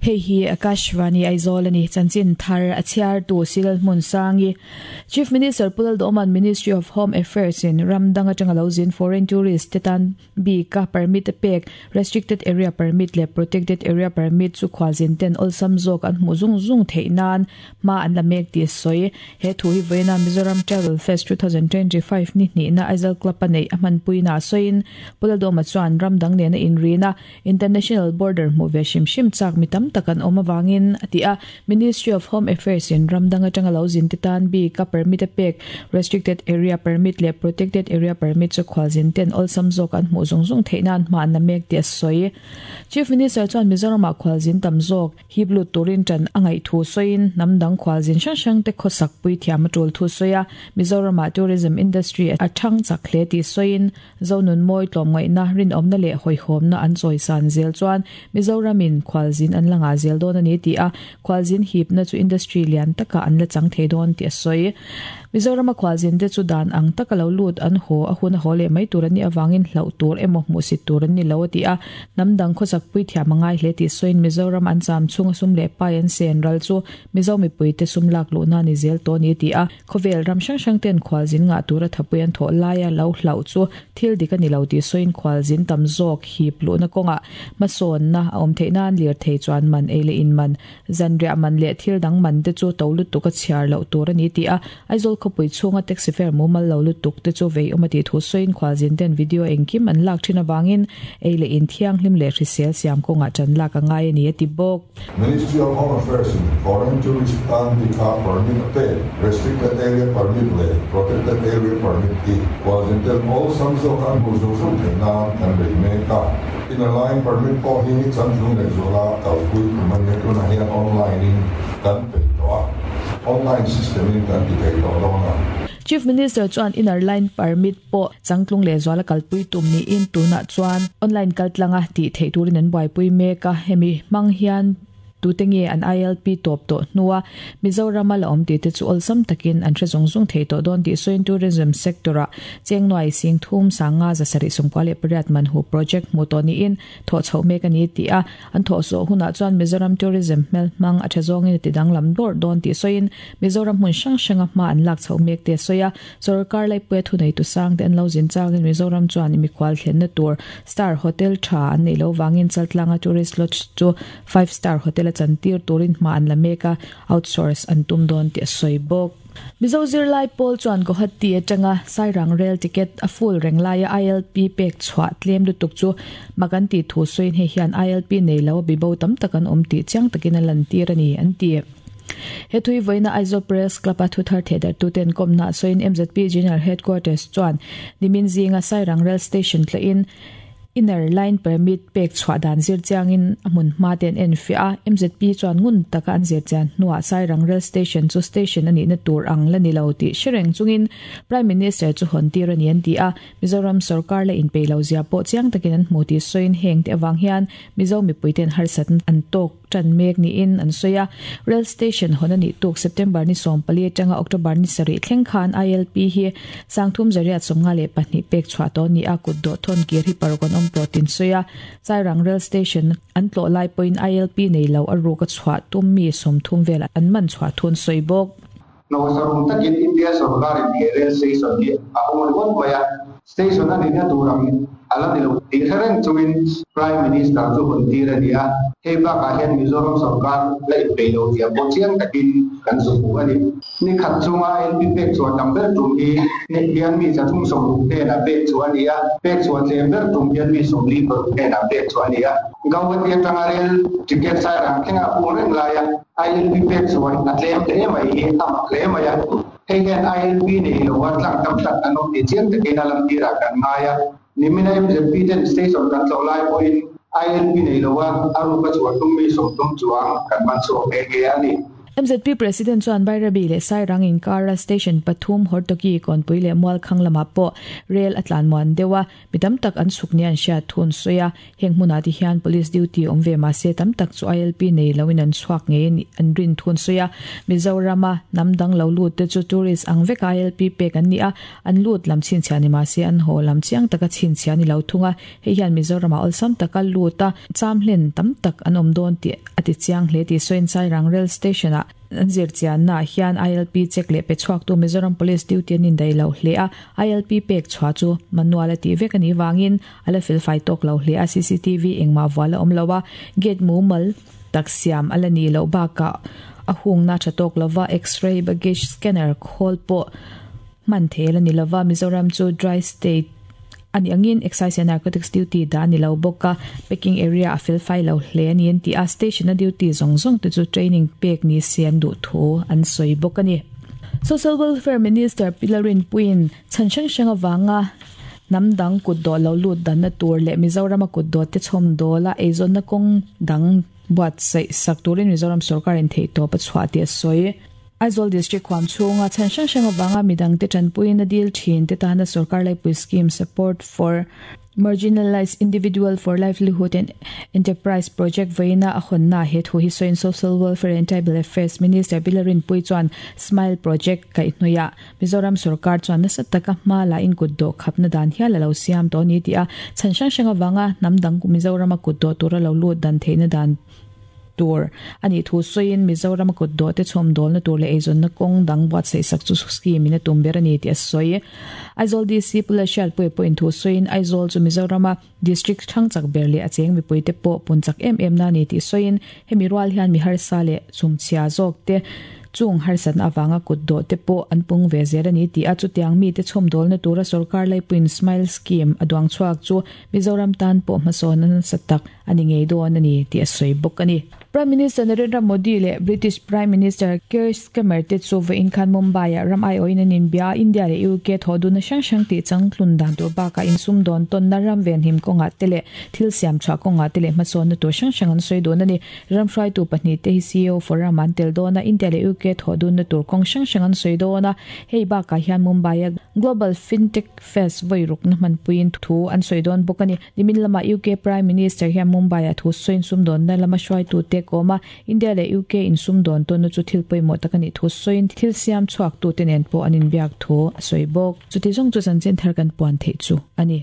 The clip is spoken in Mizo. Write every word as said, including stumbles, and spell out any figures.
Hei hi Akashvani Aizawl ani chanchin thar a chhiar tu Silal Hmun Sangi Chief Minister Pu Lalduhoma'n Ministry of Home Affairs in ramdang atanga lo zin foreign tourist te tan bika permit a pek restricted area permit leh protected area permit chu khualzin ten awlsam zawk an hmuh zung zung theih nan hma an la mek tih a sawi. He thu hi vawiina Mizoram Travel Fest two thousand twenty five ni hnihna Aizawl Club a neih a hmanpuina a sawiin Pu Lalduhoma chuan ramdang nena inrina international border hmuh ve hrim hrim chak mi tam tak an awm awangin a ti a. Ministry of Home Affairs in ramdang atanga lo zin te tan bika permit a pek restricted area permit leh protected area permit chu khualzin ten awlsam zawk an hmuh zung zung theih nan hma an la mek tih a sawi. Chief Minister chuan Mizoramah khualzin tam zawk hip lut turin tan a ngaih thu sawiin hnam dang khualzin hrang hrang te khawsak pui thiam a tul thu sawi a. Mizoramah tourism industry a thang chak hle tih sawiin zonun mawi tlawmngaihna rinawmna leh hawihhawmna an chawi san zel chuan Mizoramin khualzin an la ngah zel dawn a ni tih a. Khualzin hipna chu industry lian taka an la chang thei dawn tih a sawi. Mizorama khualzin te chu dan ang taka lo lut an haw a hun a haw leh mai tur an nih awangin hlauh tur emaw hmuhsit tur an ni lo a ti a. Hnam dang khawsak pui thiam a ngai hle tih sawiin Mizoram an cham chhunga sum leh pai an sen ral chu Mizo mipui te sum lak luhna ni zel tawh a ni ti a. Khawvel ram hrang hrang ten khualzin ngah tura thapui an thawh laia lo hlauh chu thil dik a ni lo tih sawiin khualzin tam zawk hip luhna kawngah hmasawnna a awm theih nan lir thei chuan man ei leh in man zanriah man leh thil dang man te chu to lutuk a chhiar loh tur a ni ti a. Aizawl khawpui chhunga taxi fare mumal lo lutuk te chu vei awm a tih thu sawiin khualzin ten video engkim an lak thin awangin ei leh in thianghlim leh hrisel siam kawngah tan lak a ngai a ni a ti bawk. Ministry of Home Affairs in foreign tourist tan bika permit a pek restricted area permit leh protected area permit hi khualzin ten awlsam zawk an hmuh zung zung theih nan kan bei mek a. Inner line permit pawh hi changtlung leh zuala kalpui tum a nia tunah hian online in kan peih tawh a, online system in kan ti thei tawh dawn a. Chief Minister chuan inner line permit pawh changtlung leh zuala kalpui tum niin tunah chuan online kaltlanga tih theih turin an buaipui mek a. Hemi hmang hian tute nge an I L P tawp tawh hnua Mizorama la awm tih te chu awlsam takin an hre zung zung thei tawh dawn tih sawiin tourism sector-ah Chengnuai Sing thum sanga za sarih sawmkua leh pariat man hu project hmuh tawh niin thawh chhoh mek a ni tih a. An thawh zawh hunah chuan Mizoram tourism hmel hmang a tha zawngin a ti danglam dawrh dawn tih sawiin Mizoram hmun hrang hranga hma an lak chhoh mek te a sawi a. Sorkar laipui a thunei tu sang te an lo zin changin Mizoram chuan mikhual thlenna tur star hotel tha an neih lo vangin Chaltlanga tourist lodge chu five star hotel a chantir turin hma an la mek a, outsource an tum dawn tih a sawi bawk. Mizo zirlai pawl chuan Guwahati atanga Sairang rail ticket a full reng laia I L P pek chhuah tlem lutuk chu mak an tih thu sawiin hei hian I L P nei lo a bibo tam tak an awm tih chiang takin a lantir a ni an ti. He thui vawiina Aizawl Press Club a thuthar thehdarhtuten kawmna sawiin M Z P General Headquarters chuan nimin zinga Sairang rail station tlahin inner line permit pek chhuah dan zir chiangin a hmun hma te an en fiah a. M Z P chuan ngun taka an zir chian hnuah Sairang rail station chu station a nihna tur ang la ni lo tih hre reng chungin Prime Minister chu hawn tir a ni an ti a. Mizoram sarkar la inpeih lo zia pawh chiang takin an hmu tih sawiin heng te awang hian Mizo mipui ten harsat an tawk tan mek niin an sawi a. Rail station hawn a nih tuk September ni sawm pali atanga October ni sarih thleng khan I L P hi sangthum zariat sawmnga leh pahnih pek chhuah tawh a ni a. Kut dawh thawn kir hi paruk an awm tawh tin sawi a. Sairang rail station an tlawh lai pawhin I L P nei lo a ruk a chhuah tum mi sawmthum vel an man chhuah thun sawi bawk. Nawsarum takin India sarkarin he rail station hi a hawng ringawt mai a, station a nihna tur ang a la ni lo tih hre reng chungin Prime Minister chu hawn tir a ni a. Hei bakah hian Mizoram sarkar la inpeih lo zia pawh chiang takin kan zu hmu a ni. Ni khat chunga L P pek chhuah tam ber tum hi hian mi chathum sawmruk hnenah pek chhuah a ni a, pek chhuah tlem ber tum hian mi sawmli paruk hnenah pek chhuah a ni a. Guwahati atanga rail ticket Sairang thlengah pung reng laia I L P pek chhuah a tlem hle mai hi a mak hle mai a. Hei hian I L P nei lo a tlang tam tak an awm tih chiang takin a lantirah kan ngai a. Nimina M Z P ten station kan tlawh lai pawhin I L P nei lo a a ruka chhuah tum mi sawmtum chuang kan man chhuak nghe nghe a ni. M Z P President chuan Bairabi leh Sairang inkara station pathum Hortoki Kawnpui leh Mualkhang lamah pawh rel a tlan muan deuh a, mi tam tak an chhuk ni an hriat thun sawi a, heng hmunah ti hian police duty awm ve mahse tam tak chu I L P nei loin an chhuak ngei an rin thun sawi a, Mizorama hnam dang lo lut te chu tourist ang vek I L P pek an ni a, an lut lam chhinchhiah ni mahse an haw lam chiang taka chhinchhiah ni lo thung a, hei hian Mizorama awlsam taka lut a, cham hlen tam tak an awm dawn tih a ti chiang hle tih sawiin Sairang rail station ah an zir chianna hian I L P check leh pe chhuak tu Mizoram Police duty an indai lo hle a, I L P pek chhuah chu manual a tih vek ani wangin ala fel fai tawk lo hle a, C C T V engmah vual a awm lo a, gate mumal tak siam ala ni lo bakah a hungna tha tawk lova x-ray baggage scanner khawl pawh hman thel ani lova, Mizoram chu dry state ani angin excise and narcotics duty da ani lo bawk a, packing area a fel fai lo hle ani an ti a, station a duty zawng zawng te chu training pek ni se an duh thu an sawi bawk ani. Social Welfare Minister Pilarin Puin chan hrang hrang awanga hnam dang kut dawh lo lut dan na tur leh Mizorama kut dawh te chhawm dawla eizawnna kawng dang buatsaih sak turin Mizoram sarkar in theih tawp a chhuah tih a sawi. Aizawl District huam chhunga chan hrang hrang awanga midang te tanpuiin a dil thin te tana sarkar laipui scheme support for marginalized individual for livelihood and enterprise project veina a hawnna he thu hi sawiin Social Welfare and Tribal Affairs Minister Pilarin Pui chuan Smile Project kaihhnuiah Mizoram sarkar chuan nasa taka hma la in kut dawh khapna dan hial a lo siam tawh ni ti a, chan hrang hrang awanga hnam dang Mizorama kut dawh tura lo lut dan theihna dan tur ani thu sawiin Mizoram kut dawh te chhawm dawlna tur leh eizawnna kawng dang buatsaih sak chu scheme in a tum ber ani tih a sawi. Aizawl D C Pula Hriatpui pawh in thu sawiin Aizawl chu Mizorama district thang chak ber leh a cheng mipui te pawh pun chak em em na ni tih sawiin hemi rual hian mi harsa leh chumchhia zawk te chung harsat na awanga kut dawh te pawh an pung ve zel ani tih a, chutiang mi te chhawm dawlna tura sarkar laipuiin Smile Scheme a duang chhuak chu Mizoram tan pawh hmasawn nasa tak ani ngei dawn ani tih a sawi bawk ani. Prime Minister Narendra Modi leh British Prime Minister Keir Starmer te chu vawiin khan Mumbai ah ram ai awin an inbia, India leh U K thaw dun hrang hrang tih changtlun dan tur bakah insum dawn tawnna ram ven him kawngah te leh thil siam chhuah kawngah te leh hmasawnna tur hrang hrang an sawi dawn ani. Ram hruaitu pahnih te hi C E O forum an tel dawn a, India leh U K thaw dun na tur kawng hrang hrang an sawi dawn a, hei bakah hian Mumbai a Global Fintech Fest vawi rukna hmanpuiin thu an sawi dawn bawk ani. Nimin lama U K Prime Minister hian Mumbai ah thu sawiin sum dawnna lama hruaitu te kawma India leh U K insum dawn tawnna chu thil pawimawh tak ani thu sawiin thil siam chhuak tu te nen pawh an inbiak thu a sawi bawk. Chuti zawng chu chanchin thar kan puan theih chu ani.